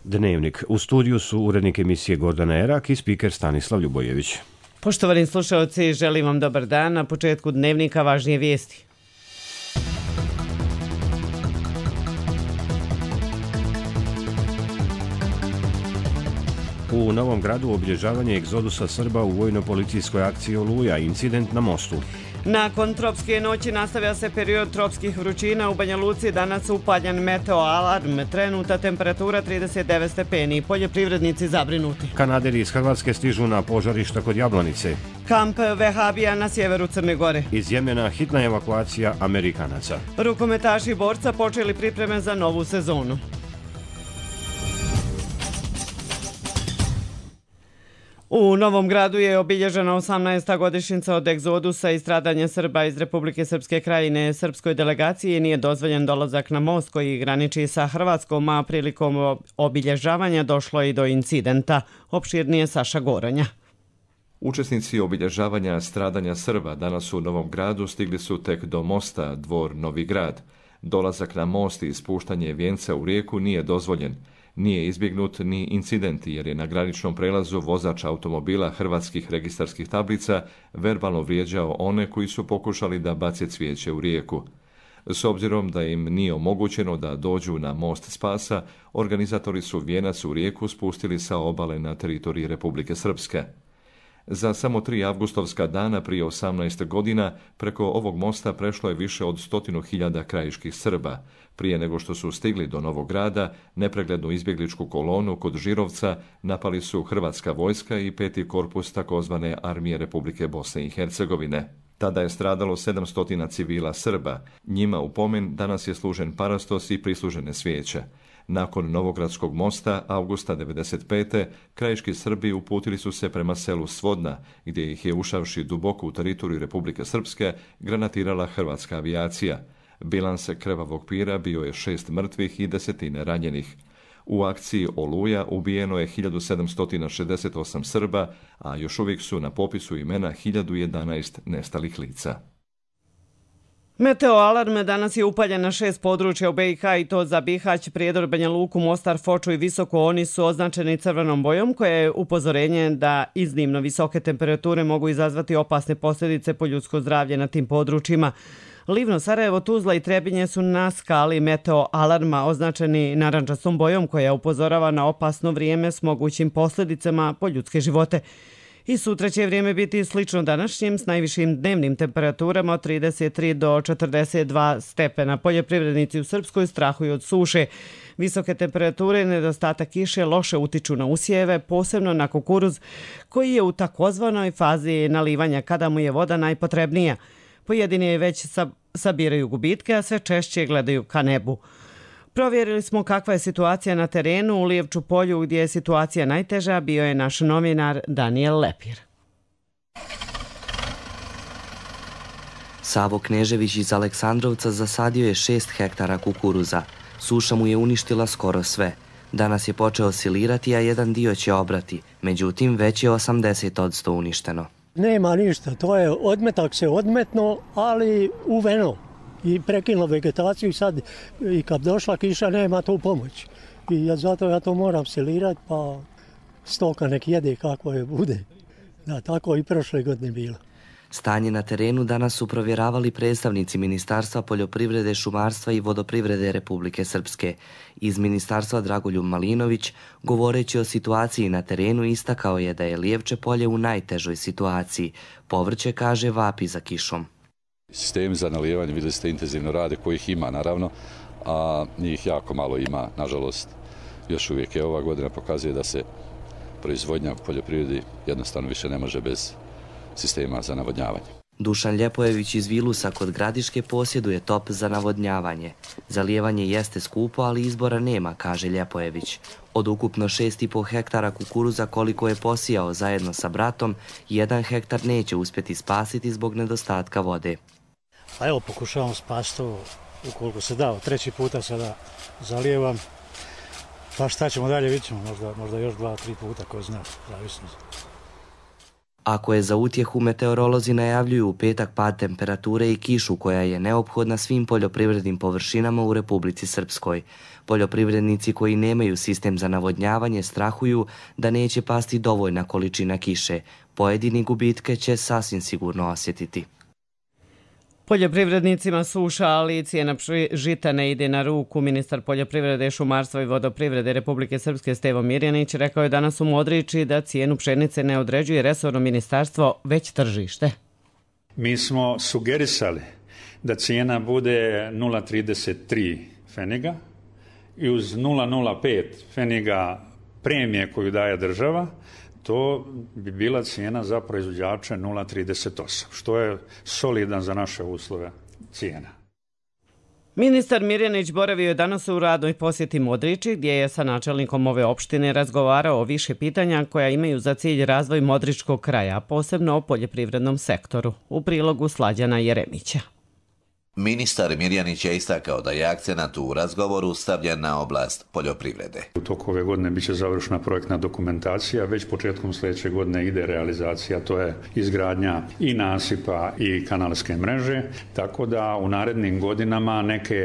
Dnevnik. U studiju su urednik emisije Gordana Erak i spiker Stanislav Ljubojević. Poštovani slušalci, želim vam dobar dan. Na početku Dnevnika važnije vijesti. U Novom Gradu obilježavanje egzodusa Srba u vojno-policijskoj akciji Oluja, incident na mostu. Nakon tropske noći nastavlja se period tropskih vrućina. U Banja Luci danas upaljen meteo alarm. Trenutna temperatura 39 stepeni. Poljoprivrednici zabrinuti. Kanaderi iz Hrvatske stižu na požarišta kod Jablanice. Kamp Vehabija na sjeveru Crne Gore. Iz Jemena hitna evakuacija Amerikanaca. Rukometaši borca počeli pripreme za novu sezonu. U Novom Gradu je obilježena 18. godišnjica od egzodusa i stradanja Srba iz Republike Srpske Krajine. Srpskoj delegaciji nije dozvoljen dolazak na most koji graniči sa Hrvatskom, a prilikom obilježavanja došlo i do incidenta. Opširnije Saša Goronja. Učesnici obilježavanja stradanja Srba danas u Novom Gradu stigli su tek do mosta Dvor Novi Grad. Dolazak na most i spuštanje vijenca u rijeku nije dozvoljen. Nije izbjegnut ni incident jer je na graničnom prelazu vozač automobila hrvatskih registarskih tablica verbalno vrijeđao one koji su pokušali da bace cvijeće u rijeku. S obzirom da im nije omogućeno da dođu na most Spasa, organizatori su vijenac u rijeku spustili sa obale na teritoriji Republike Srpske. Za samo 3 avgustovska dana prije 18 godina preko ovog mosta prešlo je više od 100.000 krajiških Srba. Prije nego što su stigli do Novog Grada, nepreglednu izbjegličku kolonu kod Žirovca napali su hrvatska vojska i 5. korpus takozvane Armije Republike Bosne i Hercegovine. Tada je stradalo 700 civila Srba. Njima u pomen danas je služen parastos i prislužene svijeće. Nakon Novogradskog mosta, avgusta 1995. krajiški Srbi uputili su se prema selu Svodna, gdje ih je ušavši duboko u teritoriju Republike Srpske granatirala hrvatska avijacija. Bilans krvavog pira bio je 6 mrtvih i 10 ranjenih. U akciji Oluja ubijeno je 1768 Srba, a još uvijek su na popisu imena 1011 nestalih lica. Meteo alarm danas je upaljen na 6 područja u BiH i to za Bihać, Prijedor, Banja Luku, Mostar, Foču i Visoko. Oni su označeni crvenom bojom koje je upozorenje da iznimno visoke temperature mogu izazvati opasne posljedice po ljudsko zdravlje na tim područjima. Livno, Sarajevo, Tuzla i Trebinje su na skali meteo alarma označeni narandžastom bojom koja upozorava na opasno vrijeme s mogućim posljedicama po ljudske živote. I sutra će vrijeme biti slično današnjim s najvišim dnevnim temperaturama od 33 do 42 stepena. Poljoprivrednici u Srpskoj strahuju od suše. Visoke temperature i nedostatak kiše loše utiču na usjeve, posebno na kukuruz koji je u takozvanoj fazi nalivanja kada mu je voda najpotrebnija. Pojedini već sabiraju gubitke, a sve češće gledaju ka nebu. Provjerili smo kakva je situacija na terenu u Lijevču polju gdje je situacija najteža, bio je naš novinar Daniel Lepir. Savo Knežević iz Aleksandrovca zasadio je 6 hektara kukuruza. Suša mu je uništila skoro sve. Danas je počeo silirati, a jedan dio će obrati. Međutim, već je 80% uništeno. Nema ništa, to je odmetak se odmetno, ali uveno. I prekinulo vegetaciju i sad i kad došla kiša nema tu pomoć. I zato ja to moram silirati pa stoka nek jede kako je bude. Da, tako i prošle godine bilo. Stanje na terenu danas su provjeravali predstavnici Ministarstva poljoprivrede, šumarstva i vodoprivrede Republike Srpske. Iz Ministarstva Dragoljub Malinović, govoreći o situaciji na terenu, istakao je da je Lijevče polje u najtežoj situaciji. Povrće, kaže, vapi za kišom. Sistemi za nalijevanje, vidjeli ste, intenzivno rade, kojih ima naravno, a njih jako malo ima, nažalost. Još uvijek je ova godina pokazuje da se proizvodnja u poljoprivredi jednostavno više ne može bez sistema za navodnjavanje. Dušan Ljepojević iz Vilusa kod Gradiške posjeduje top za navodnjavanje. Zalijevanje jeste skupo, ali izbora nema, kaže Ljepojević. Od ukupno 6,5 hektara kukuruza koliko je posijao zajedno sa bratom, 1 hektar neće uspjeti spasiti zbog nedostatka vode. A evo, pokušavam spasiti to ukoliko se da. 3. puta sada zalijevam. Pa šta ćemo dalje, vidjet ćemo, možda još 2-3 puta, ko zna, zavisno. Ako je za utjehu, meteorolozi najavljuju u petak pad temperature i kišu koja je neophodna svim poljoprivrednim površinama u Republici Srpskoj. Poljoprivrednici koji nemaju sistem za navodnjavanje strahuju da neće pasti dovoljna količina kiše. Pojedini gubitke će sasvim sigurno osjetiti. Poljoprivrednicima suša, ali i cijena žita ne ide na ruku. Ministar poljoprivrede, šumarstva i vodoprivrede Republike Srpske Stevo Mirjanić rekao je danas u Modriči da cijenu pšenice ne određuje resorno ministarstvo, već tržište. Mi smo sugerisali da cijena bude 0,33 pfeniga i uz 0,05 pfeniga premije koju daje država, to bi bila cijena za proizvođače 0,38, što je solidan za naše uslove cijena. Ministar Mirjanić boravio je danas u radnoj posjeti Modriči, gdje je sa načelnikom ove opštine razgovarao o više pitanja koja imaju za cilj razvoj modričkog kraja, posebno o poljoprivrednom sektoru. U prilogu Slađana Jeremića. Ministar Mirjanić je istakao da je akcenat u razgovoru stavljen na oblast poljoprivrede. U toku ove godine biće završena projektna dokumentacija, već početkom sljedeće godine ide realizacija, to je izgradnja i nasipa i kanalske mreže, tako da u narednim godinama neke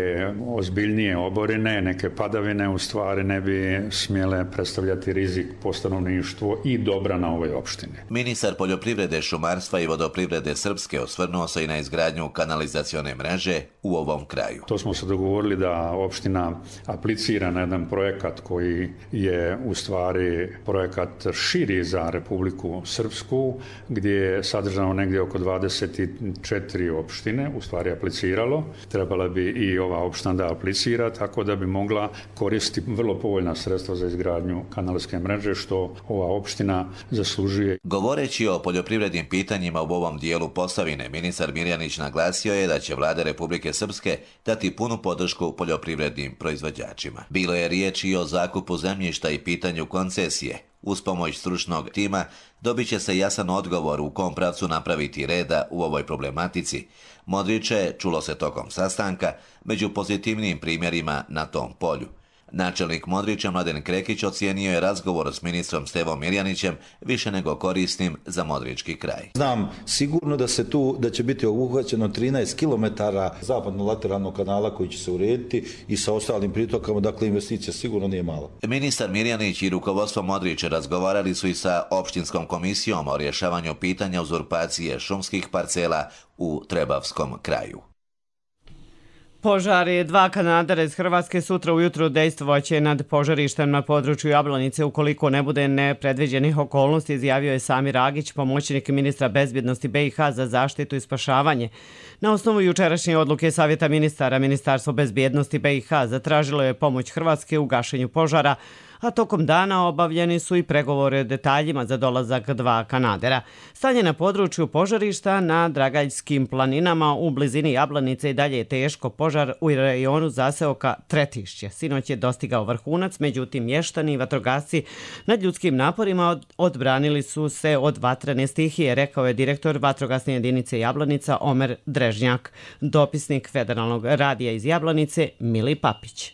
ozbiljnije oborine, neke padavine u stvari ne bi smjele predstavljati rizik po stanovništvo i dobra na ovoj opštini. Ministar poljoprivrede, šumarstva i vodoprivrede Srpske osvrnuo se i na izgradnju kanalizacione mreže u ovom kraju. To smo se dogovorili da opština aplicira na jedan projekat koji je u stvari projekat širi za Republiku Srpsku, gdje je sadržano negdje oko 24 opštine u stvari apliciralo. Trebala bi i ova opština da aplicira, tako da bi mogla koristiti vrlo povoljna sredstva za izgradnju kanalske mreže, što ova opština zaslužuje. Govoreći o poljoprivrednim pitanjima u ovom dijelu Posavine, ministar Mirjanić naglasio je da će vlada Republike Srpske dati punu podršku poljoprivrednim proizvođačima. Bilo je riječi i o zakupu zemljišta i pitanju koncesije. Uz pomoć stručnog tima dobit će se jasan odgovor u kom pravcu napraviti reda u ovoj problematici. Modriče, čulo se tokom sastanka, među pozitivnim primjerima na tom polju. Načelnik Modriča Mladen Krekić ocijenio je razgovor s ministrom Stevom Mirjanićem više nego korisnim za modrički kraj. Znam sigurno da će biti obuhvaćeno 13 km zapadno-lateralnog kanala koji će se urediti i sa ostalim pritokama, dakle investicija sigurno nije mala. Ministar Mirjanić i rukovodstvo Modriče razgovarali su i sa opštinskom komisijom o rješavanju pitanja uzurpacije šumskih parcela u Trebavskom kraju. Požari, 2 kanadera iz Hrvatske sutra ujutro dejstvovaće nad požarištem na području Jablanice ukoliko ne bude nepredviđenih okolnosti, izjavio je Samir Agić, pomoćnik ministra bezbjednosti BiH za zaštitu i spašavanje. Na osnovu jučerašnje odluke Savjeta ministara, Ministarstvo bezbjednosti BiH zatražilo je pomoć Hrvatske u gašenju požara, a tokom dana obavljeni su i pregovore o detaljima za dolazak 2 kanadera. Stanje na području požarišta na Dragaljskim planinama u blizini Jablanice i dalje je teško. Požar u rajonu zaseoka Tretišće sinoć je dostigao vrhunac, međutim mještani i vatrogasci nad ljudskim naporima odbranili su se od vatrene stihije, rekao je direktor vatrogasne jedinice Jablanica Omer Drežnjak. Dopisnik Federalnog radija iz Jablanice Mili Papić.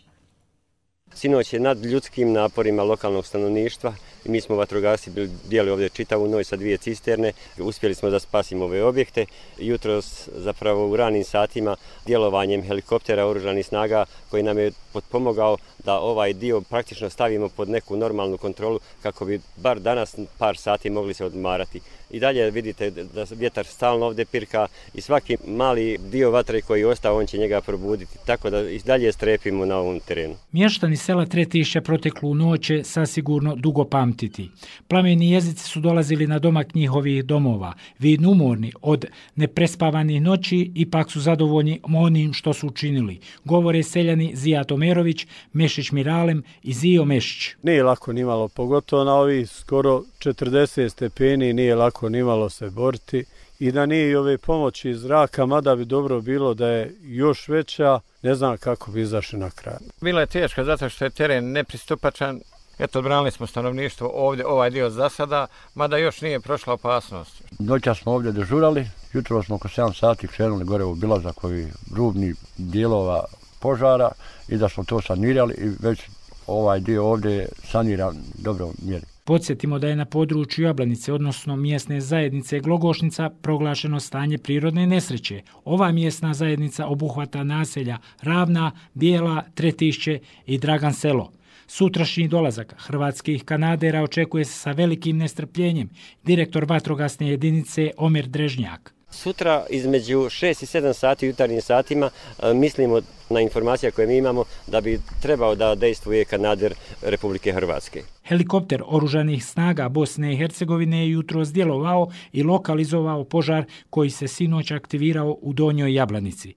Sinoć je nad ljudskim naporima lokalnog stanovništva i mi smo vatrogasci bili ovdje čitavu noć sa 2 cisterne. Uspjeli smo da spasimo ove objekte. Jutros zapravo u ranim satima djelovanjem helikoptera oružanih snaga koji nam je potpomogao da ovaj dio praktično stavimo pod neku normalnu kontrolu kako bi bar danas par sati mogli se odmarati. I dalje vidite da vjetar stalno ovdje pirka i svaki mali dio vatre koji je ostao, on će njega probuditi. Tako da i dalje strepimo na ovom terenu. Mještani sela Tretišća proteklu noć će sasigurno dugo pamtiti. Plameni jezici su dolazili na domak njihovih domova. Vidno umorni od neprespavanih noći, ipak su zadovoljni onim što su učinili. Govore seljani Zija Tomerović, Mešić Miralem i Zio Mešić. Nije lako nimalo, pogotovo na ovih skoro 40 stepeni, nije lako nimalo se boriti. I da nije i ove pomoći iz zraka, mada bi dobro bilo da je još veća, ne znam kako bi izašli na kraj. Bilo je teško zato što je teren nepristupačan. Eto, odbranili smo stanovništvo ovdje, ovaj dio za sada, mada još nije prošla opasnost. Noća smo ovdje dežurali, jutro smo oko 7 sati krenuli gore u obilazak ovih rubnih dijelova požara i da smo to sanirali i već ovaj dio ovdje je saniran dobro mjeri. Podsjetimo da je na području Jablanice, odnosno mjesne zajednice Glogošnica, proglašeno stanje prirodne nesreće. Ova mjesna zajednica obuhvata naselja Ravna, Bijela, Tretišće i Dragan Selo. Sutrašnji dolazak hrvatskih kanadera očekuje se sa velikim nestrpljenjem. Direktor vatrogasne jedinice Omer Drežnjak. Sutra između 6 i 7 sati u jutarnjim satima mislimo na informacije koje mi imamo da bi trebao da dejstvuje kanader Republike Hrvatske. Helikopter oružanih snaga Bosne i Hercegovine je jutros djelovao i lokalizovao požar koji se sinoć aktivirao u Donjoj Jablanici.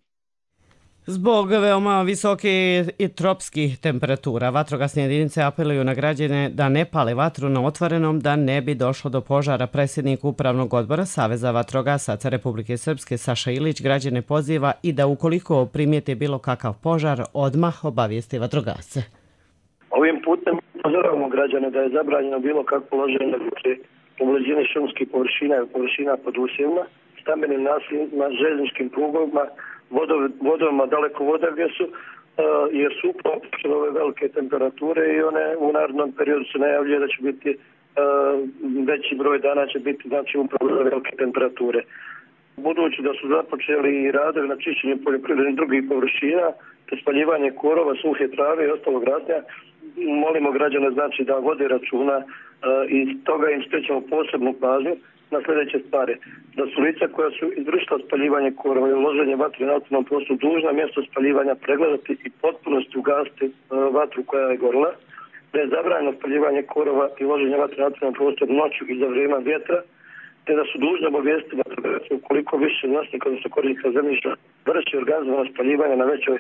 Zbog veoma visoke i tropskih temperatura, vatrogasne jedinice apeluju na građane da ne pale vatru na otvorenom da ne bi došlo do požara. Predsjednik Upravnog odbora Saveza vatrogasaca Republike Srpske Saša Ilić građane poziva i da ukoliko primijete bilo kakav požar, odmah obavijesti vatrogasce. Ovim putem upozoravamo građane da je zabranjeno bilo kakvo loženje u blizini šumskih površina i površina pod usjevima, stambenim naseljima, željezničkim prugama, vodovima daleko voda gdje su, jer su upravo ove velike temperature i one u narednom periodu se najavljuje da će biti veći broj dana će biti znači upravo velike temperature. Budući da su započeli i radovi na čišćenju poljoprivrednih drugih površina, te spaljivanje korova, suhe trave i ostalog rasnja, molimo građane znači da vode računa i toga im skrećemo posebnu pažnju na sljedeće stvari. Da su lica koja su izvršila spaljivanje korova i uloženje vatre na otvorenom prostoru dužna mjesto spaljivanja pregledati i potpunosti ugasiti vatru koja je gorila. Da je zabranjeno spaljivanje korova i uloženje vatre na otvorenom prostoru noću i za vrijeme vjetra, te da su dužni obavijestiti vatrogasce ukoliko više vlasnika, odnosno korisnika zemljišta vrši organizovano spaljivanje na većoj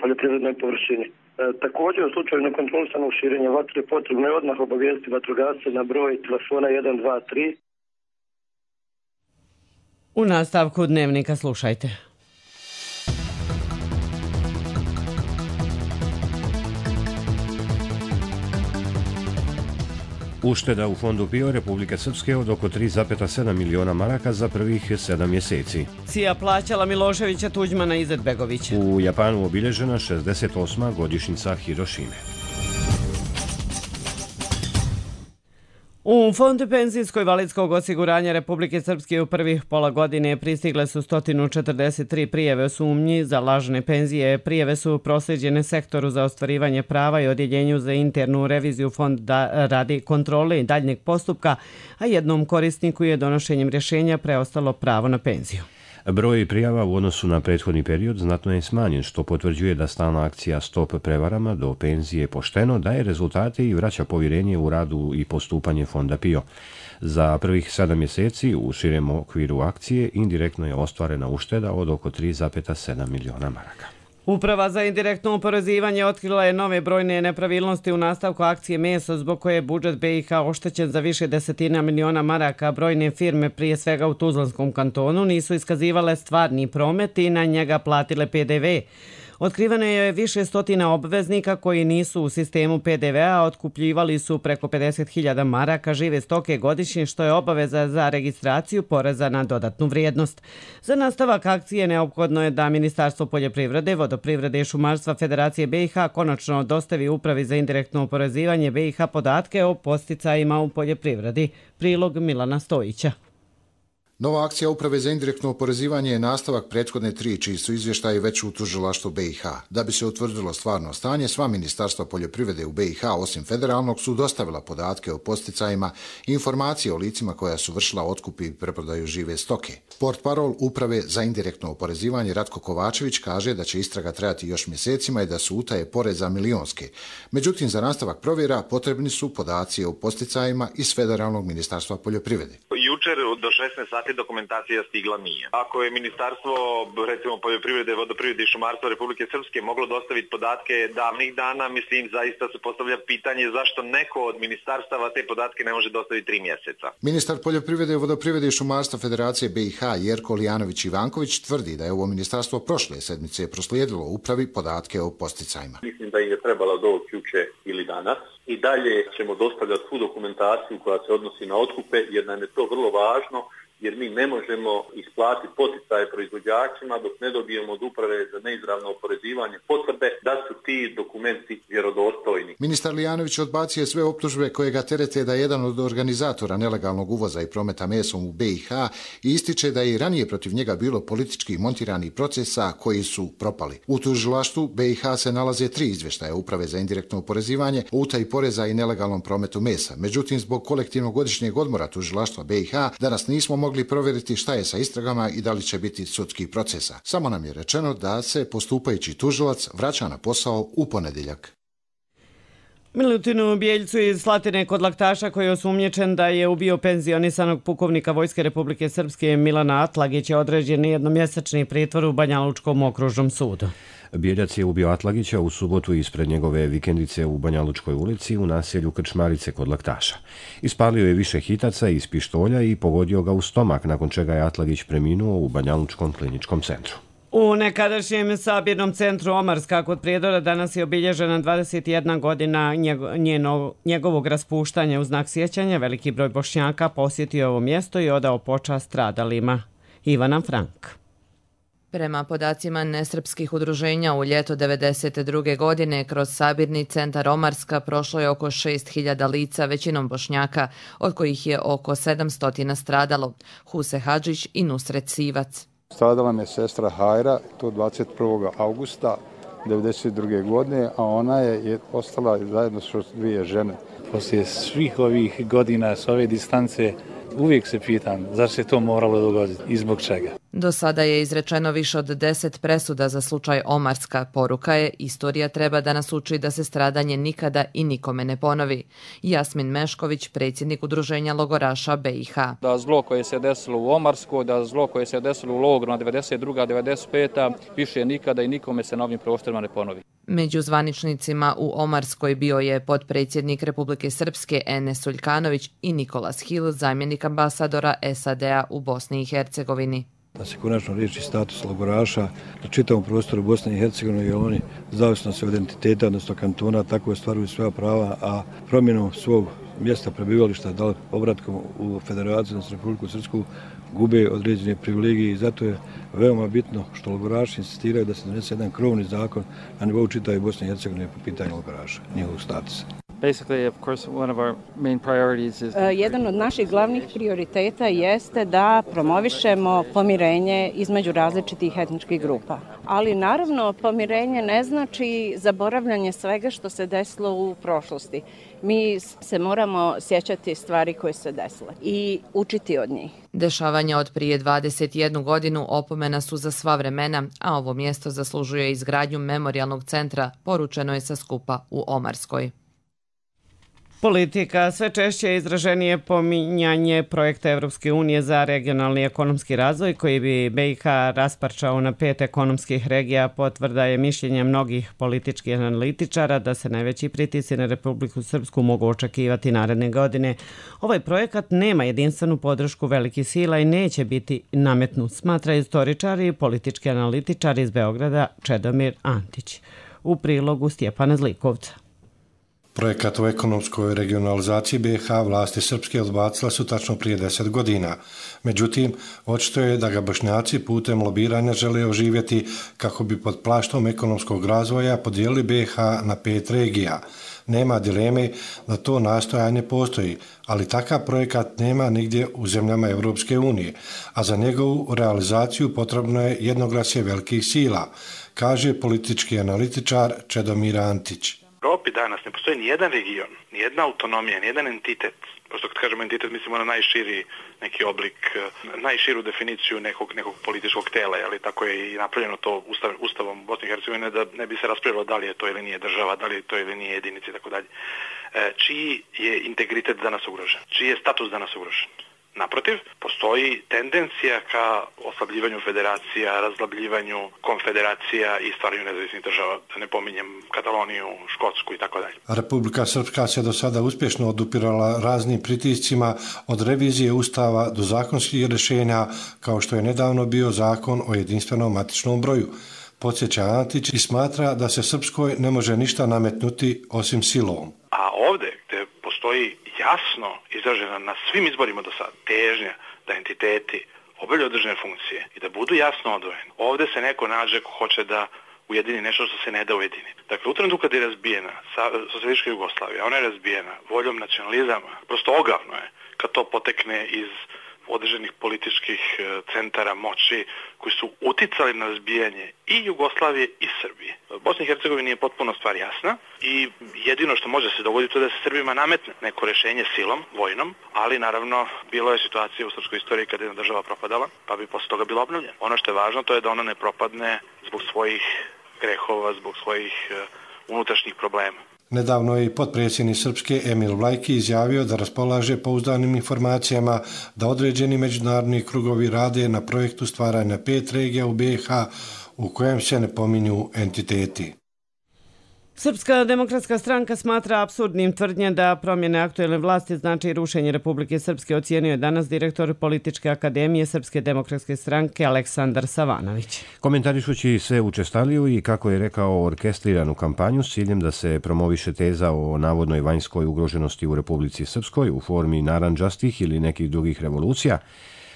poljoprivrednoj površini. Također, u slučaju nekontrolisanog širenja vatre potrebno je odmah obavijestiti vatrogasce na broj telefona 123. U nastavku dnevnika slušajte. Ušteda u fondu PIO Republike Srpske od oko 3,7 miliona maraka za prvih 7 mjeseci. CIA plaćala Miloševića, Tuđmana i Izetbegovića. U Japanu obilježena 68. godišnjica Hirošime. U Fondu penzijsko-invalidskog osiguranja Republike Srpske u prvih pola godine pristigle su 143 prijave o sumnji za lažne penzije. Prijave su proslijeđene sektoru za ostvarivanje prava i odjeljenju za internu reviziju fonda radi kontrole i daljnjeg postupka, a jednom korisniku je donošenjem rješenja preostalo pravo na penziju. Broj prijava u odnosu na prethodni period znatno je smanjen, što potvrđuje da stalna akcija Stop prevarama do penzije pošteno daje rezultate i vraća povjerenje u radu i postupanje fonda PIO. Za prvih 7 mjeseci u širem okviru akcije indirektno je ostvarena ušteda od oko 3,7 miliona maraka. Uprava za indirektno oporezivanje otkrila je nove brojne nepravilnosti u nastavku akcije Meso, zbog koje je budžet BiH oštećen za više desetina miliona maraka. Brojne firme, prije svega u Tuzlanskom kantonu, nisu iskazivale stvarni promet i na njega platile PDV. Otkriveno je više stotina obveznika koji nisu u sistemu PDV-a, otkupljivali su preko 50.000 maraka žive stoke godišnje, što je obaveza za registraciju poreza na dodatnu vrijednost. Za nastavak akcije neophodno je da Ministarstvo poljoprivrede, vodoprivrede i šumarstva Federacije BiH konačno dostavi Upravi za indirektno oporezivanje BiH podatke o podsticajima u poljoprivredi. Prilog Milana Stojića. Nova akcija Uprave za indirektno oporezivanje je nastavak prethodne 3, čiji su izvještaji već u tužilaštvu BiH. Da bi se utvrdilo stvarno stanje, sva ministarstva poljoprivrede u BiH, osim federalnog, su dostavila podatke o posticajima i informacije o licima koja su vršila otkup i preprodaju žive stoke. Portparol Uprave za indirektno oporezivanje Ratko Kovačević kaže da će istraga trajati još mjesecima i da su utaje poreza milionske. Međutim, za nastavak provjera potrebni su podaci o posticajima iz federalnog ministarstva poljoprivrede. Jučer do 16 sati dokumentacija stigla nije. Ako je Ministarstvo, recimo, poljoprivrede, vodoprivrede i šumarstva Republike Srpske moglo dostaviti podatke davnih dana, mislim, zaista se postavlja pitanje zašto neko od ministarstava te podatke ne može dostaviti 3 mjeseca. Ministar poljoprivrede, vodoprivrede i šumarstva Federacije BiH Jerko Lijanović-Ivanković tvrdi da je ovo ministarstvo prošle sedmice proslijedilo Upravi podatke o posticajima. Mislim da im je trebalo doći juče ili danas. I dalje ćemo dostavljati svu dokumentaciju koja se odnosi na otkupe, jer nam je to vrlo važno, jer mi ne možemo isplatiti poticaje proizvođačima dok ne dobijemo od uprave za neizravno oporezivanje potvrde da su ti dokumenti vjerodostojni. Ministar Lijanović odbacio sve optužbe koje ga terete da je jedan od organizatora nelegalnog uvoza i prometa mesom u BiH i ističe da je i ranije protiv njega bilo politički montiranih procesa koji su propali. U tužilaštvu BiH se nalaze 3 izvještaja Uprave za indirektno oporezivanje o utaji poreza i nelegalnom prometu mesa. Međutim, zbog kolektivnog godišnjeg odmora tužilaštva BiH danas nismo mogli provjeriti šta je sa istragama i da li će biti sudskih procesa. Samo nam je rečeno da se postupajući tužilac vraća na posao u ponedjeljak. Milutinu Bijeljcu iz Slatine kod Laktaša, koji je osumnjičen da je ubio penzionisanog pukovnika Vojske Republike Srpske Milana Atlagića, određen jednomjesečni pritvor u Banja Lučkom okružnom sudu. Bijeljac je ubio Atlagića u subotu ispred njegove vikendice u Banja Lučkoj ulici u naselju Krčmarice kod Laktaša. Ispalio je više hitaca iz pištolja i pogodio ga u stomak, nakon čega je Atlagić preminuo u Banja Lučkom kliničkom centru. U nekadašnjem sabirnom centru Omarska kod Prijedora danas je obilježena 21 godina njegovog raspuštanja. U znak sjećanja veliki broj Bošnjaka posjetio ovo mjesto i odao počast stradalima. Ivana Frank. Prema podacima nesrpskih udruženja, u ljeto 1992. godine kroz sabirni centar Omarska prošlo je oko 6.000 lica, većinom Bošnjaka, od kojih je oko 700 stradalo. Huse Hadžić i Nusret Sivac. Stradala me sestra Hajra, to 21. augusta 1992. godine, a ona je ostala zajedno s 2 žene. Poslije svih ovih godina s ove distance uvijek se pitam zašto se to moralo dogoditi i zbog čega. Do sada je izrečeno više od 10 presuda za slučaj Omarska. Poruka je, istorija treba da nas uči da se stradanje nikada i nikome ne ponovi. Jasmin Mešković, predsjednik udruženja logoraša BiH. Da zlo koje se desilo u Omarsku, da zlo koje se desilo u logoru na 92. 95. više nikada i nikome se na ovim prostorima ne ponovi. Među zvaničnicima u Omarskoj bio je potpredsjednik Republike Srpske Enes Uljkanović i Nikolas Hill, zamjenik ambasadora SAD-a u Bosni i Hercegovini. Da se konačno riješi status logoraša na čitavom prostoru Bosne i Hercegovine, jer oni zavisno se od identiteta, odnosno kantona, tako ostvaruju svoja prava, a promjenom svog mjesta prebivališta, da li povratkom u Federaciju, odnosno Republiku Srpsku, gube određene privilegije i zato je veoma bitno što logoraši insistiraju da se donese jedan krovni zakon na nivou čitave Bosne i Hercegovine po pitanju logoraša, njihovog statusa. Jedan od naših glavnih prioriteta jeste da promovišemo pomirenje između različitih etničkih grupa. Ali naravno pomirenje ne znači zaboravljanje svega što se desilo u prošlosti. Mi se moramo sjećati stvari koje se desile i učiti od njih. Dešavanja od prije 21 godinu opomena su za sva vremena, a ovo mjesto zaslužuje izgradnju memorijalnog centra, poručeno je sa skupa u Omarskoj. Politika. Sve češće je izraženije pominjanje projekta Evropske unije za regionalni ekonomski razvoj koji bi BiH rasparčao na 5 ekonomskih regija. Potvrda je mišljenje mnogih političkih analitičara da se najveći pritisci na Republiku Srpsku mogu očekivati naredne godine. Ovaj projekat nema jedinstvenu podršku velikih sila i neće biti nametnut, smatra istoričari i politički analitičari iz Beograda Čedomir Antić. U prilogu Stjepana Zlikovca. Projekat o ekonomskoj regionalizaciji BiH vlasti srpske odbacila su tačno prije 10 godina. Međutim, očito je da ga Bošnjaci putem lobiranja žele oživjeti kako bi pod plaštom ekonomskog razvoja podijelili BiH na 5 regija. Nema dileme da to nastojanje postoji, ali takav projekat nema nigdje u zemljama Europske unije, a za njegovu realizaciju potrebno je jednoglasje velikih sila, kaže politički analitičar Čedomir Antić. U Europi danas ne postoji nijedan region, nijedna autonomija, nijedan entitet. Prosto kad kažemo entitet mislimo na najširi neki oblik, najširu definiciju nekog političkog tela, ali tako je i napravljeno to Ustavom Bosne i Hercegovine da ne bi se raspravljalo da li je to ili nije država, da li je to ili nije jedinica i tako dalje. Čiji je integritet danas ugrožen? Čiji je status danas ugrožen? Naprotiv, postoji tendencija ka oslabljivanju federacija, razlabljivanju konfederacija i stvaranju nezavisnih država, da ne pominjem Kataloniju, Škotsku i tako dalje. Republika Srpska se do sada uspješno odupirala raznim pritiscima od revizije Ustava do zakonskih rješenja, kao što je nedavno bio zakon o jedinstvenom matičnom broju. podsjeća Antić i smatra da se Srpskoj ne može ništa nametnuti osim silom. A ovdje gdje postoji jasno izražena na svim izborima do sad težnja da entiteti obavljaju određene funkcije i da budu jasno odvojeni. Ovdje se neko nađe ko hoće da ujedini nešto što se ne da ujedini. Dakle, u trenutku kad je razbijena socijalistička Jugoslavija, ona je razbijena voljom nacionalizama, prosto ogavno je kad to potekne iz određenih političkih centara moći koji su uticali na razbijanje i Jugoslavije i Srbije. Bosni i Hercegovini je potpuno stvar jasna i jedino što može se dogoditi je da se Srbima nametne neko rješenje silom, vojnom, ali naravno bilo je situacija u srpskoj istoriji kada je jedna država propadala, pa bi posle toga bila obnovljena. Ono što je važno to je da ona ne propadne zbog svojih grehova, zbog svojih unutrašnjih problema. Nedavno je i potpredsjednik Srpske Emil Vlajki izjavio da raspolaže pouzdanim informacijama da određeni međunarodni krugovi rade na projektu stvaranja 5 regija u BiH u kojem se ne pominju entiteti. Srpska demokratska stranka smatra apsurdnim tvrdnje da promjene aktuelne vlasti znači rušenje Republike Srpske, ocijenio je danas direktor Političke akademije Srpske demokratske stranke Aleksandar Savanović. Komentarišući sve učestaliju i, kako je rekao, orkestriranu kampanju s ciljem da se promoviše teza o navodnoj vanjskoj ugroženosti u Republici Srpskoj u formi narandžastih ili nekih drugih revolucija,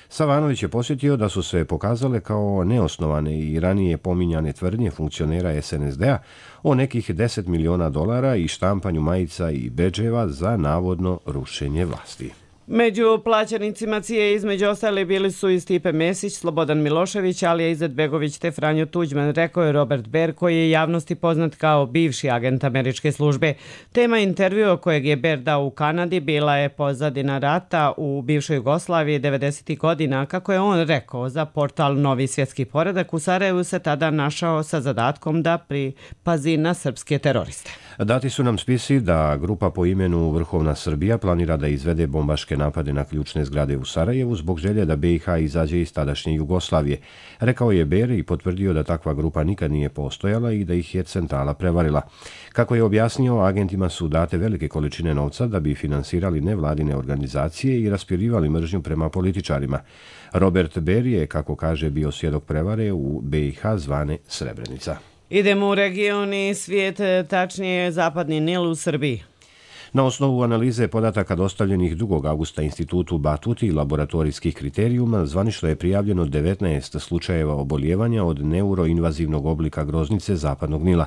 Savanović je posjetio da su se pokazale kao neosnovane i ranije pominjane tvrdnje funkcionera SNSD-a o nekih $10 miliona i štampanju majica i bedževa za navodno rušenje vlasti. Među plaćenicima CIA između ostali bili su i Stipe Mesić, Slobodan Milošević, Alija Izetbegović te Franjo Tuđman, rekao je Robert Baer, koji je javnosti poznat kao bivši agent američke službe. Tema intervjua kojeg je Baer dao u Kanadi bila je pozadina rata u bivšoj Jugoslaviji 90. godina. Kako je on rekao za portal Novi svjetski poredak, u Sarajevu se tada našao sa zadatkom da pripazi na srpske teroriste. Dati su nam spisi da grupa po imenu Vrhovna Srbija planira da izvede bombaške napade na ključne zgrade u Sarajevu zbog želje da BiH izađe iz tadašnje Jugoslavije. Rekao je Baer i potvrdio da takva grupa nikad nije postojala i da ih je centrala prevarila. Kako je objasnio, agentima su date velike količine novca da bi finansirali nevladine organizacije i raspirivali mržnju prema političarima. Robert Baer je, kako kaže, bio svjedok prevare u BiH zvane Srebrenica. Idemo u region i svijet, tačnije Zapadni Nil u Srbiji. Na osnovu analize podataka dostavljenih 2. augusta institutu Batuti i laboratorijskih kriterijuma, zvanično je prijavljeno 19 slučajeva oboljevanja od neuroinvazivnog oblika groznice Zapadnog Nila.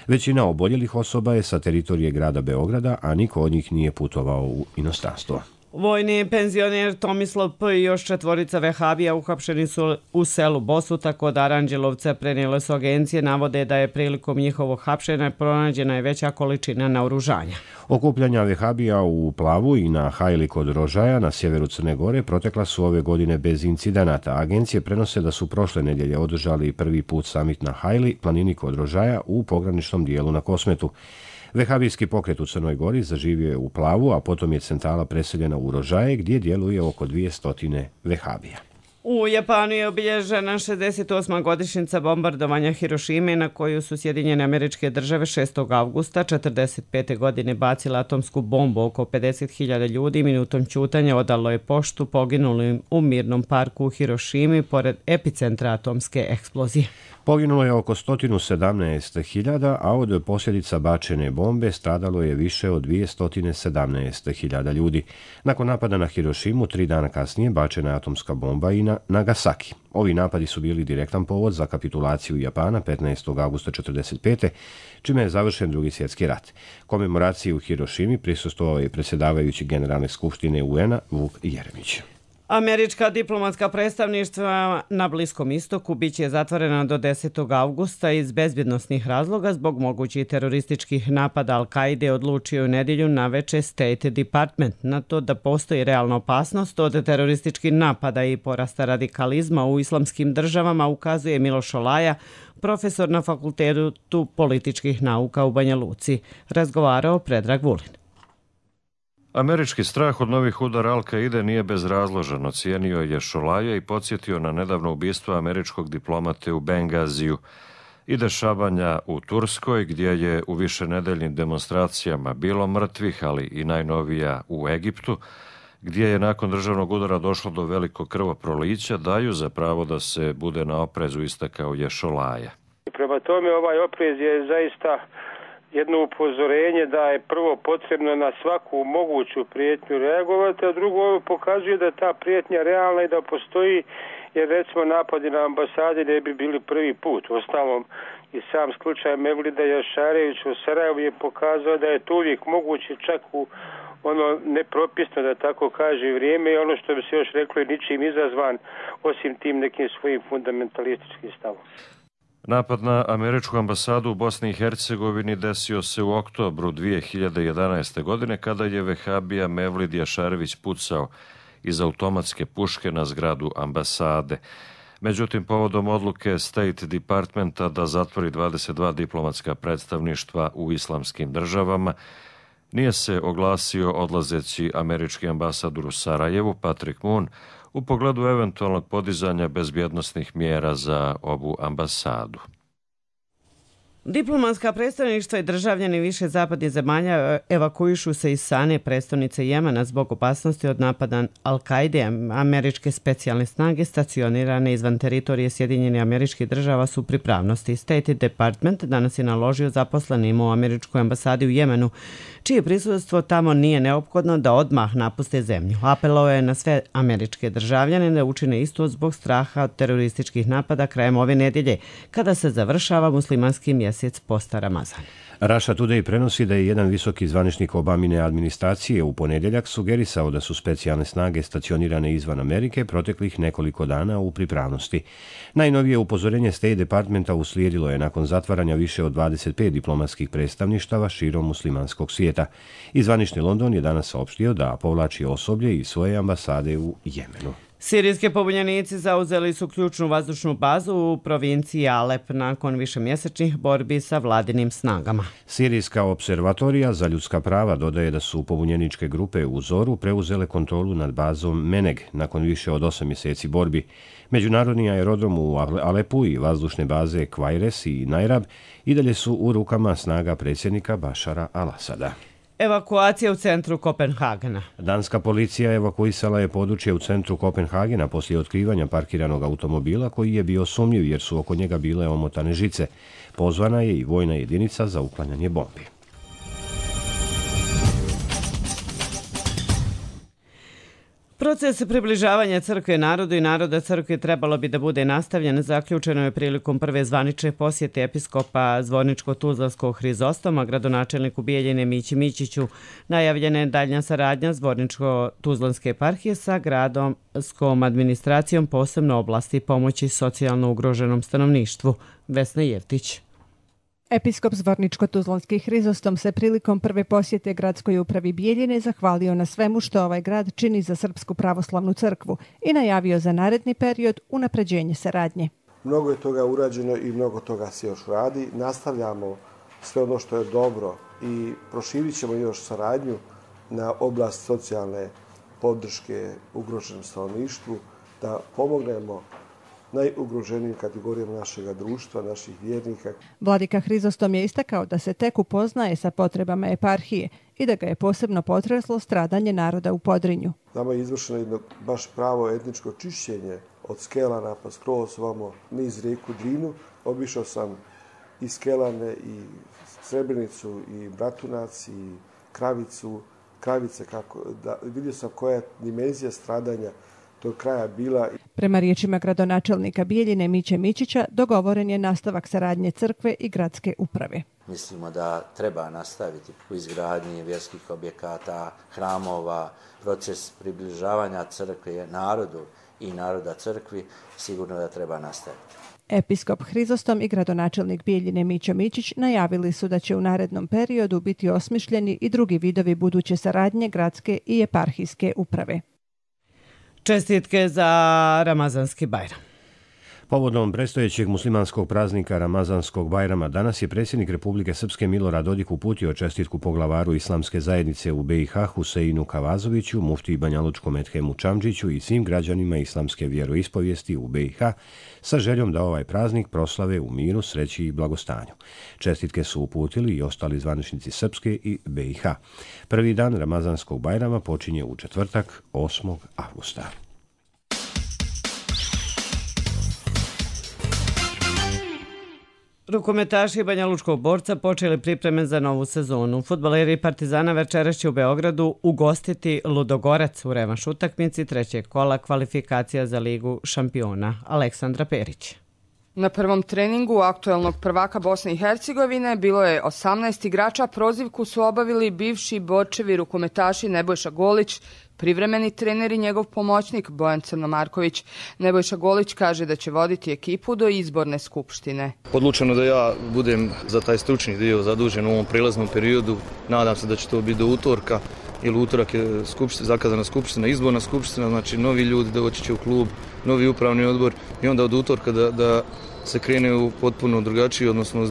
Većina oboljelih osoba je sa teritorije grada Beograda, a niko od njih nije putovao u inostranstvo. Vojni penzioner Tomislav P. i još 4 vehabija uhapšeni su u selu Bosuta kod Aranđelovca, prenijele su agencije, navode da je prilikom njihovog hapšenja pronađena je veća količina naoružanja. Okupljanja vehabija u Plavu i na Hajli kod Rožaja na sjeveru Crne Gore protekla su ove godine bez incidenata. Agencije prenose da su prošle nedjelje održali prvi put samit na Hajli, planini kod Rožaja, u pograničnom dijelu na Kosmetu. Vehabijski pokret u Crnoj Gori zaživio je u Plavu, a potom je centrala preseljena u Rožaje, gdje djeluje oko 200 vehabija. U Japanu je obilježena 68. godišnjica bombardovanja Hirošime, na koju su Sjedinjene Američke Države 6. augusta 1945. godine bacila atomsku bombu. Oko 50.000 ljudi minutom ćutanja odalo je poštu poginulim u mirnom parku u Hirošimi pored epicentra atomske eksplozije. Poginulo je oko 117.000, a od posljedica bačene bombe stradalo je više od 217.000 ljudi. Nakon napada na Hirošimu, 3 dana kasnije bačena je atomska bomba i na Nagasaki. Ovi napadi su bili direktan povod za kapitulaciju Japana 15. augusta 1945. čime je završen Drugi svjetski rat. Komemoraciji u Hirošimi prisustvovao je predsjedavajući Generalne skupštine UN-a Vuk Jeremić. Američka diplomatska predstavništva na Bliskom istoku biće zatvorena do 10. augusta iz bezbjednosnih razloga zbog mogućih terorističkih napada Al-Kaide, odlučio u nedjelju naveče State Department. Na to da postoji realna opasnost od terorističkih napada i porasta radikalizma u islamskim državama ukazuje Miloš Olaja, profesor na Fakultetu političkih nauka u Banja Luci. Razgovarao Predrag Vulin. Američki strah od novih udara Al-Kaide nije bezrazložan, ocijenio je Šolaja i podsjetio na nedavno ubistvo američkog diplomate u Bengaziju i dešavanja u Turskoj, gdje je u višenedeljnim demonstracijama bilo mrtvih, ali i najnovija u Egiptu, gdje je nakon državnog udara došlo do velikog krvoprolića, daju za pravo da se bude na oprezu, istakao je Šolaja. Prema tome ovaj oprez je zaista jedno upozorenje da je prvo potrebno na svaku moguću prijetnju reagovati, a drugo pokazuje da ta prijetnja realna i da postoji, jer recimo napadi na ambasade ne bi bili prvi put. Ostalom i sam slučaj Mevlida Jašarevića u Sarajevu je pokazao da je to uvijek moguće čak u ono nepropisno, da tako kaže, vrijeme i ono što bi se još reklo je ničim izazvan osim tim nekim svojim fundamentalističkim stavom. Napad na američku ambasadu u Bosni i Hercegovini desio se u oktobru 2011. godine kada je vehabija Mevlid Jašarević pucao iz automatske puške na zgradu ambasade. Međutim, povodom odluke State Departmenta da zatvori 22 diplomatska predstavništva u islamskim državama, nije se oglasio odlazeći američki ambasador u Sarajevu, Patrick Moon, u pogledu eventualnog podizanja bezbjednosnih mjera za ovu ambasadu. Diplomatska predstavništva i državljani više zapadnih zemalja evakuišu se iz Sane, prestonice Jemena, zbog opasnosti od napada Al-Kaide. Američke specijalne snage stacionirane izvan teritorije Sjedinjenih Američkih Država su u pripravnosti. State Department danas je naložio zaposlenima u američkoj ambasadi u Jemenu, čije prisustvo tamo nije neophodno, da odmah napuste zemlju. Apelovao je na sve američke državljane da učine isto zbog straha od terorističkih napada krajem ove nedjelje, kada se završava muslimanski mjesec posta Ramazan. Russia Today prenosi da je jedan visoki zvaničnik Obamine administracije u ponedjeljak sugerisao da su specijalne snage stacionirane izvan Amerike proteklih nekoliko dana u pripravnosti. Najnovije upozorenje State Departmenta uslijedilo je nakon zatvaranja više od 25 diplomatskih predstavništava širom muslimanskog svijeta. I zvanični London je danas saopštio da povlači osoblje iz svoje ambasade u Jemenu. Sirijski pobunjenici zauzeli su ključnu vazdušnu bazu u provinciji Alep nakon višemjesečnih borbi sa vladinim snagama. Sirijska observatorija za ljudska prava dodaje da su pobunjeničke grupe u Zoru preuzele kontrolu nad bazom Meneg nakon više od 8 mjeseci borbi. Međunarodni aerodrom u Alepu i vazdušne baze Kvajres i Najrab i dalje su u rukama snaga predsjednika Bašara al-Asada. Evakuacija u centru Kopenhagena. Danska policija evakuisala je područje u centru Kopenhagena poslije otkrivanja parkiranog automobila koji je bio sumnjiv jer su oko njega bile omotane žice. Pozvana je i vojna jedinica za uklanjanje bombi. Proces približavanja crkve narodu i naroda crkve trebalo bi da bude nastavljen. Zaključeno je prilikom prve zvanične posjete episkopa Zvorničko-Tuzlanskog Hrizostoma, gradonačelniku Bijeljine Mići Mićiću. Najavljena je daljnja saradnja Zvorničko-Tuzlanske eparhije sa gradomskom administracijom, posebno oblasti pomoći socijalno ugroženom stanovništvu. Vesna Jevtić. Episkop Zvorničko-Tuzlanski Hrizostom se prilikom prve posjete gradskoj upravi Bijeljine zahvalio na svemu što ovaj grad čini za Srpsku pravoslavnu crkvu i najavio za naredni period unapređenje saradnje. Mnogo je toga urađeno i mnogo toga se još radi. Nastavljamo sve ono što je dobro i proširit ćemo još saradnju na oblast socijalne podrške ugroženom stanovništvu, da pomognemo najugroženijim kategorijama našega društva, naših vjernika. Vladika Hrizostom je istakao da se tek upoznaje sa potrebama eparhije i da ga je posebno potreslo stradanje naroda u Podrinju. Nama je izvršeno jedno baš pravo etničko čišćenje od Skelana pa skroz ovamo niz rijeku Drinu. Obišao sam i Skelane, i Srebrenicu, i Bratunac, i Kravice, vidio sam koja je dimenzija stradanja tog kraja bila. Prema riječima gradonačelnika Bijeljine Miće Mićića, dogovoren je nastavak saradnje crkve i gradske uprave. Mislimo da treba nastaviti u izgradnji vjerskih objekata, hramova, proces približavanja crkve narodu i naroda crkvi, sigurno da treba nastaviti. Episkop Hrizostom i gradonačelnik Bijeljine Mića Mićić najavili su da će u narednom periodu biti osmišljeni i drugi vidovi buduće saradnje gradske i eparhijske uprave. Čestitke za Ramazanski Bajram. Povodom predstojećeg muslimanskog praznika Ramazanskog Bajrama danas je predsjednik Republike Srpske Milorad Dodik uputio čestitku poglavaru islamske zajednice u BiH Huseinu Kavazoviću, muftiji Banjalučkom Edhemu Čamdžiću i svim građanima islamske vjeroispovijesti u BiH sa željom da ovaj praznik proslave u miru, sreći i blagostanju. Čestitke su uputili i ostali zvaničnici Srpske i BiH. Prvi dan Ramazanskog Bajrama počinje u četvrtak 8. avgusta. Rukometaši Banja Lučkog Borca počeli pripreme za novu sezonu. Fudbaleri Partizana večeras će u Beogradu ugostiti Ludogorec u revanš utakmici trećeg kola kvalifikacija za Ligu šampiona. Aleksandra Perić. Na prvom treningu aktuelnog prvaka Bosne i Hercegovine bilo je 18 igrača. Prozivku su obavili bivši Borčevi rukometaši Nebojša Golić, privremeni trener i njegov pomoćnik Bojan Crnomarković. Nebojša Golić kaže da će voditi ekipu do izborne skupštine. Odlučeno da ja budem za taj stručni dio zadužen u ovom prilaznom periodu. Nadam se da će to biti do utorka, jer utorak je zakazana skupština, izborna skupština, znači novi ljudi doći će u klub, novi upravni odbor i onda od utorka da se krene u potpuno drugačiji, odnosno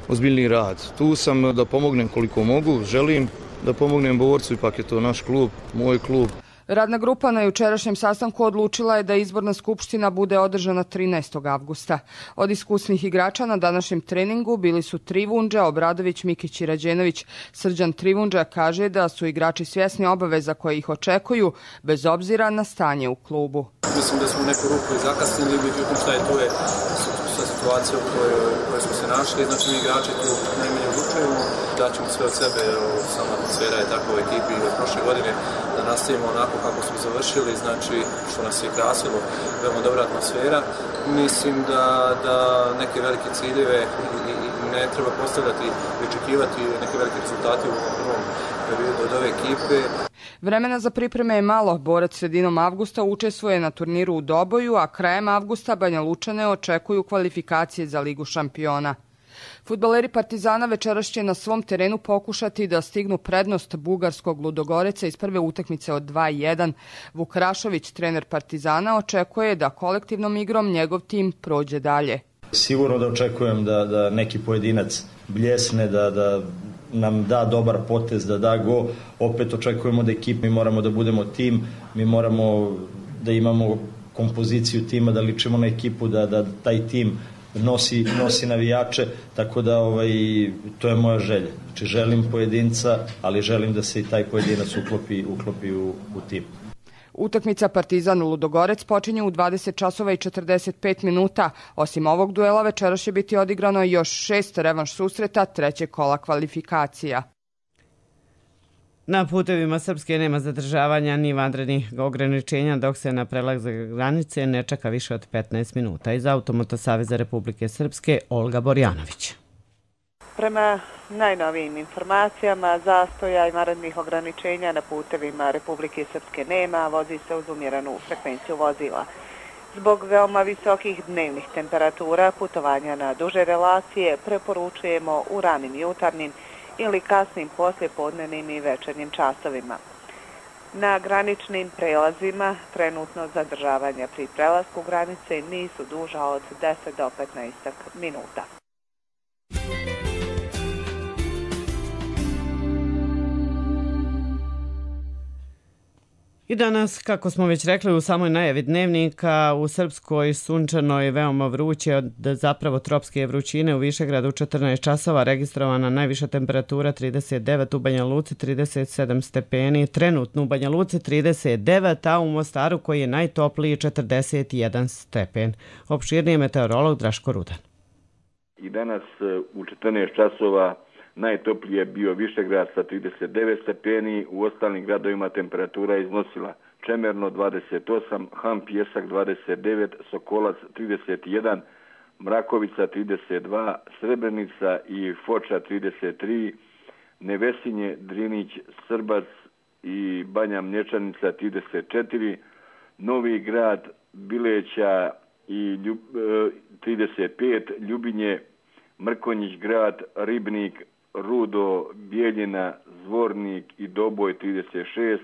ozbiljniji rad. Tu sam da pomognem koliko mogu, želim da pomognem Borcu, ipak je to naš klub, moj klub. Radna grupa na jučerašnjem sastanku odlučila je da izborna skupština bude održana 13. avgusta. Od iskusnih igrača na današnjem treningu bili su Trivundža, Obradović, Mikić i Rađenović. Srđan Trivundža kaže da su igrači svjesni obaveza koje ih očekuju, bez obzira na stanje u klubu. Mislim da smo u neku ruku i zakasnili, međutim šta je tu je situacija u kojoj smo se našli. Znači mi igrači tu najmanje odlučujemo, daćemo sve od sebe, sama atmosfera je takva u ekipi od prošle godine, da nastavimo onako kako smo završili, znači što nas je krasilo, veoma dobra atmosfera. Mislim da neke velike ciljeve ne treba postavljati i očekivati neke velike rezultate u prvom periodu od ove ekipe. Vremena za pripreme je malo. Borac sredinom avgusta učestvuje na turniru u Doboju, a krajem avgusta Banja Lučane očekuju kvalifikacije za Ligu šampiona. Fudbaleri Partizana večeras će na svom terenu pokušati da stignu prednost bugarskog Ludogoreca iz prve utakmice od 2-1. Vuk Rašović, trener Partizana, očekuje da kolektivnom igrom njegov tim prođe dalje. Sigurno da očekujem da neki pojedinac bljesne, da nam da dobar potez, da da go. Opet očekujemo da mi moramo da budemo tim, mi moramo da imamo kompoziciju tima, da ličimo na ekipu, da taj tim nosi navijače, tako da to je moja želja. Znači želim pojedinca, ali želim da se i taj pojedinac uklopi u tim. Utakmica Partizan Ludogorec počinje u 20 časova i 45 minuta. Osim ovog duela večeras će biti odigrano još 6 revanš susreta trećeg kola kvalifikacija. Na putevima Srpske nema zadržavanja ni vanrednih ograničenja, dok se na prelazak granice ne čeka više od 15 minuta. Iz Automoto Saveza Republike Srpske, Olga Borjanović. Prema najnovijim informacijama, zastoja i vanrednih ograničenja na putevima Republike Srpske nema, vozi se uz umjerenu frekvenciju vozila. Zbog veoma visokih dnevnih temperatura, putovanja na duže relacije preporučujemo u ranim jutarnjim ili kasnim poslijepodnevnim i večernjim časovima. Na graničnim prelazima trenutno zadržavanja pri prelasku granice nisu duža od 10 do 15 minuta. I danas, kako smo već rekli u samoj najavi dnevnika, u Srpskoj sunčano je veoma vruće od zapravo tropske vrućine. U Višegradu 14 časova registrovana najviša temperatura 39, u Banja Luci 37 stepeni, trenutno u Banja Luci 39, a u Mostaru koji je najtopliji 41 stepen. Opširniji meteorolog Draško Rudan. I danas u 14 časova najtoplije je bio Višegrad sa 39 stepeni, u ostalim gradovima temperatura iznosila Čemerno 28, Han Pjesak 29, Sokolac 31, Mrakovica 32, Srebrenica i Foča 33, Nevesinje, Drinić, Srbac i Banja Mlječanica 34, Novi Grad, Bileća i 35, Ljubinje, Mrkonjić Grad, Ribnik, Rudo, Bijeljina, Zvornik i Doboj 36,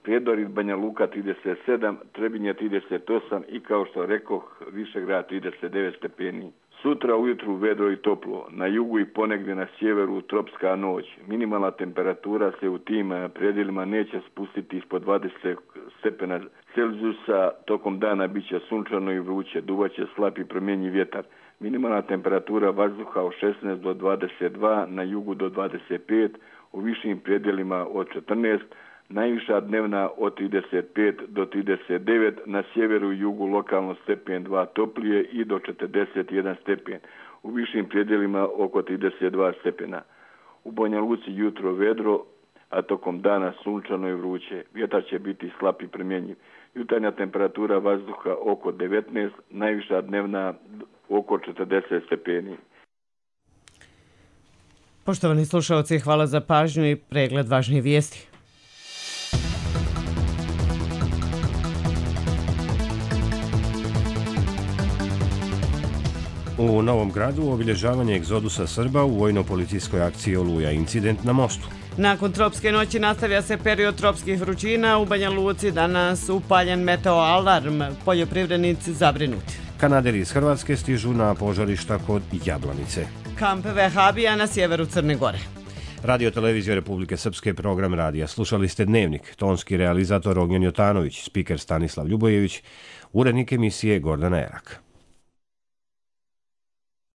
Prijedor, Banja Luka 37, Trebinje 38 i kao što rekoh Višegrad 39 stepeni. Sutra ujutru vedro i toplo, na jugu i ponegdje na sjeveru tropska noć. Minimalna temperatura se u tim predjelima neće spustiti ispod 20 stepena Celzijusa, tokom dana bit će sunčano i vruće, duvaće slab i promjenjiv vjetar. Minimalna temperatura vazduha od 16 do 22, na jugu do 25, u višim predjelima od 14, najviša dnevna od 35 do 39, na sjeveru i jugu lokalno stepen 2 toplije i do 41 stepen. u višim predjelima oko 32 stepena. U Banja Luci jutro vedro, a tokom dana sunčano i vruće. Vjetar će biti slab i promjenjiv. Jutarnja temperatura vazduha oko 19, najviša dnevna oko 40 stepeni. Poštovani slušalci, hvala za pažnju i pregled važnih vijesti. U Novom Gradu obilježavanje egzodusa Srba u vojno-policijskoj akciji Oluja, incident na mostu. Nakon tropske noći nastavlja se period tropskih vrućina. U Banja Luci danas upaljen meteo alarm, poljoprivrednici zabrinuti. Kanaderi iz Hrvatske stižu na požarišta kod Jablanice. Kamp Vehabija na sjeveru Crne Gore. Radio Televizija Republike Srpske, program radija. Slušali ste Dnevnik, tonski realizator Ognjen Jotanović, spiker Stanislav Ljubojević, urednik emisije Gordana Erak.